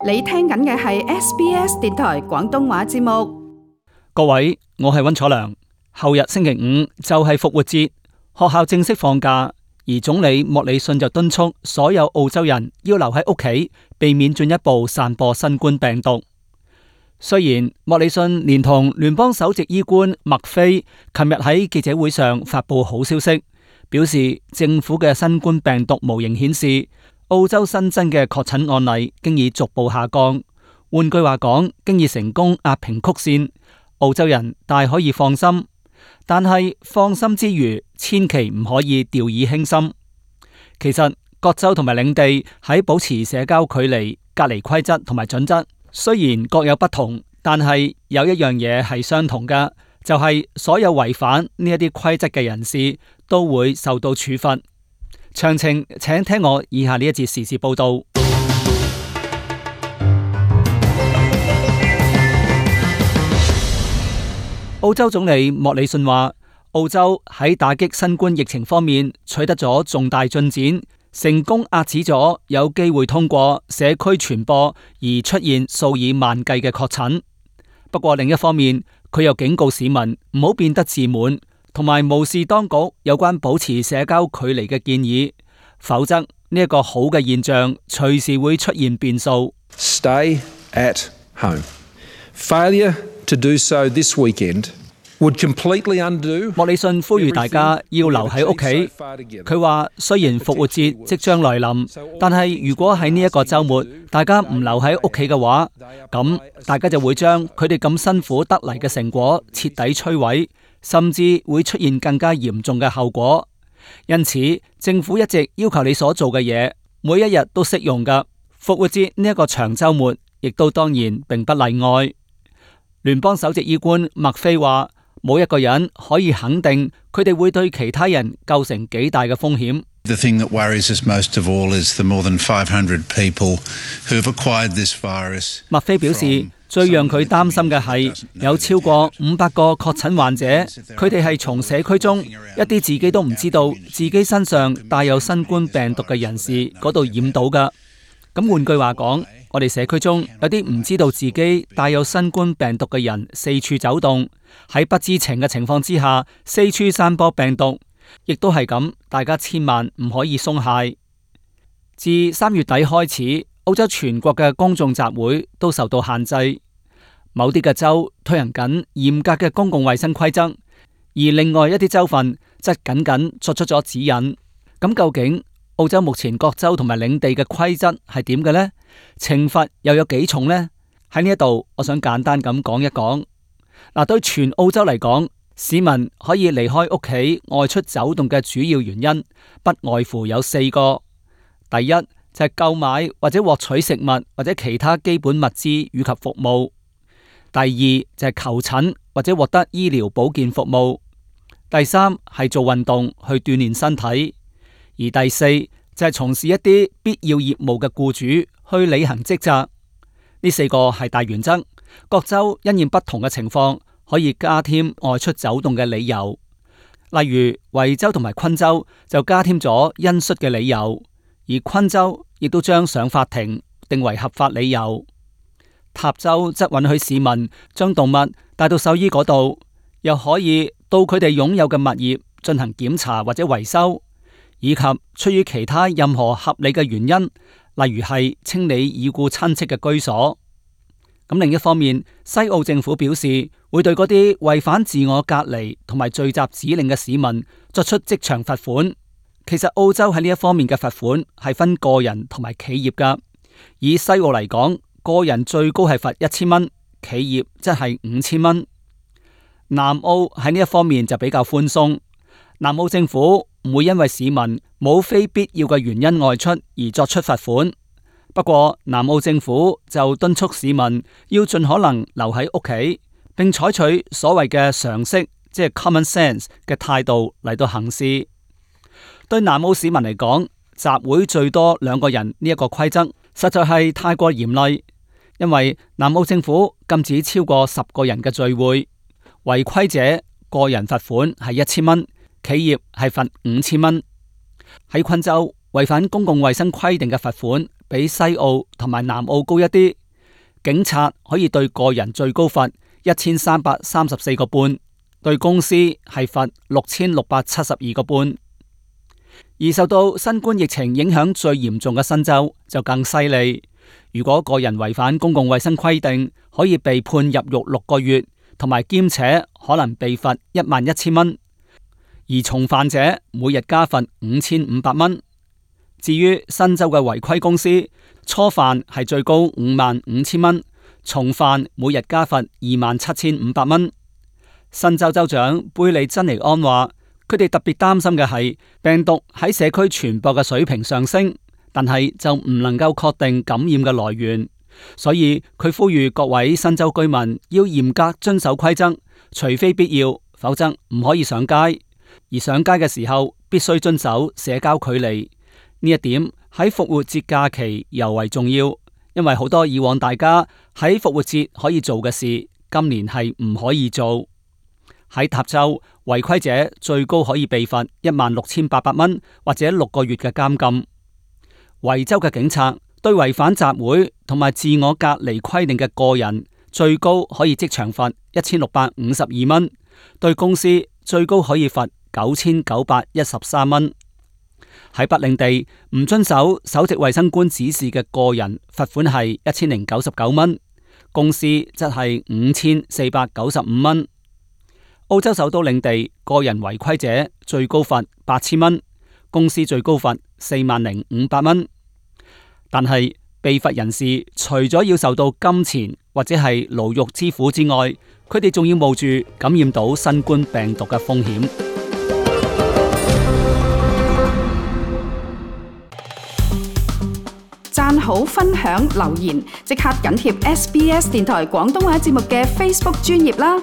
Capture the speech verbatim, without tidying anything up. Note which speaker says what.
Speaker 1: 你聽緊嘅係 S B S 電台廣東話節目。
Speaker 2: 各位，我係溫楚良。後日星期五就係復活節，學校正式放假，而總理莫里遜就敦促所有澳洲人要留喺屋企，避免進一步散播新冠病毒。雖然莫里遜連同聯邦首席醫官麥菲琴日喺記者會上發佈好消息，表示政府嘅新冠病毒模型顯示澳洲新增嘅確診案例經已逐步下降。換句話講，經已成功壓平曲線，澳洲人大可以放心。但係放心之餘，千祈唔可以掉以輕心。其實各州同埋領地喺保持社交距離、隔離規則同埋準則，雖然各有不同，但係有一樣嘢係相同嘅，就係所有違反呢一啲規則嘅人士都會受到處罰。詳情請聽我以下呢一節時事報道。澳洲總理莫里遜話，澳洲喺打擊新冠疫情方面取得咗重大進展，成功遏止咗有機會通過社區傳播而出現數以萬計嘅確診。不過另一方面，佢又警告市民唔好變得自滿，同埋無視當局有關保持社交距離嘅建議，否則呢一個好嘅現象隨時會出現變數。
Speaker 3: Stay at home. Failure to do so this weekend would completely undo.
Speaker 2: 莫里遜呼籲大家要留喺屋企。佢話雖然復活節即將來臨，但係如果喺呢一個週末大家唔留喺屋企嘅話，咁大家就會將佢哋咁辛苦得嚟嘅成果徹底摧毀，甚至會出現更加嚴重嘅後果。因此，政府一直要求你所做嘅嘢，每一日都適用㗎。復活節呢一個長週末，亦都當然並不例外。聯邦首席醫官麥菲話，冇一個人可以肯定佢哋會對其他人構成幾大嘅風險。
Speaker 4: The thing that worries us most of all is the more than five hundred people who have acquired this virus.
Speaker 2: 麥菲表示，最讓佢擔心嘅係有超過五百個確診患者，佢哋係從社區中一啲自己都唔知道自己身上帶有新冠病毒嘅人士嗰度染到㗎。咁換句話講，我哋社區中有啲唔知道自己帶有新冠病毒嘅人四處走動，喺不知情嘅情況之下四處散播病毒，亦都係咁，大家千萬唔可以鬆懈。自三月底開始，澳洲全國嘅公眾集會都受到限制，某啲嘅州推行緊嚴格嘅公共衛生規則，而另外一啲州份則僅僅作出咗指引。咁究竟澳洲目前各州同埋領地嘅規則係點嘅呢？懲罰又有幾重呢？喺呢一度，我想簡單咁講一講。嗱，對全澳洲嚟講，市民可以離開屋企外出走動嘅主要原因，不外乎有四個。第一就係購買或者獲取食物或者其他基本物資以及服務。第二就係求診或者獲得醫療保健服務。第三係做運動去鍛煉身體。而第四就係從事一啲必要業務嘅僱主去履行職責。呢四個係大原則，各州因應不同嘅情況可以加添外出走動嘅理由。例如維州同埋昆州就加添咗恩恤嘅理由，而昆州亦都將上法庭定為合法理由。塔州則允許市民將動物帶到獸醫嗰度，又可以到佢哋擁有嘅物業進行檢查或者維修，以及出於其他任何合理嘅原因，例如係清理已故親戚嘅居所。咁另一方面，西澳政府表示會對嗰啲違反自我隔離同埋聚集指令嘅市民作出即場罰款。其實澳洲喺呢一方面嘅罰款係分個人同埋企業噶。以西澳嚟講，個人最高係罰一千蚊，企業則係五千蚊。南澳喺呢一方面就比較寬鬆，南澳政府唔會因為市民冇非必要嘅原因外出而作出罰款。不過南澳政府就敦促市民要盡可能留喺屋企，並採取所謂嘅常識，即係 common sense 嘅態度嚟到行事。對南澳市民嚟講，集會最多兩個人呢一個規則實在係太過嚴厲，因為南澳政府禁止超過十個人嘅聚會，違規者個人罰款係一千蚊，企業係罰五千蚊。喺昆州，違反公共衛生規定嘅罰款比西澳同埋南澳高一啲。警察可以對個人最高罰一千三百三十四個半，對公司係罰六千六百七十二個半。而受到新冠疫情影響最嚴重嘅新州就更犀利，如果個人違反公共衛生規定，可以被判入獄六個月，同埋兼且可能被罰一萬一千蚊。而重犯者每日加罰五千五百蚊。至於新州嘅違規公司，初犯係最高五萬五千蚊，重犯每日加罰二萬七千五百蚊。新州州長貝利珍尼安話，佢哋特別擔心嘅係病毒喺社區傳播嘅水平上升，但係就唔能夠確定感染嘅來源，所以佢呼籲各位新州居民要嚴格遵守規則，除非必要，否則唔可以上街。而上街嘅時候必須遵守社交距離。呢一點喺復活節假期尤為重要，因為好多以往大家喺復活節可以做嘅事，今年係唔可以做。喺塔州，違規者最高可以被罰一萬六千八百蚊或者六個月嘅監禁。維州嘅警察對違反集會同埋自我隔離規定嘅個人，最高可以即場罰一千六百五十二蚊，對公司最高可以罰九千九百一十三蚊。喺北領地，唔遵守首席衛生官指示嘅個人，罰款係一千零九十九蚊，公司則係五千四百九十五蚊。澳洲首都領地，個人違規者最高罰八千蚊，公司最高罰四萬零五百蚊。但係被罰人士除咗要受到金錢或者係牢獄之苦之外，佢哋仲要冒住感染到新冠病毒嘅風險。
Speaker 1: 讚好、分享、留言，即刻緊貼 S B S 電台廣東話節目嘅 Facebook 專頁啦！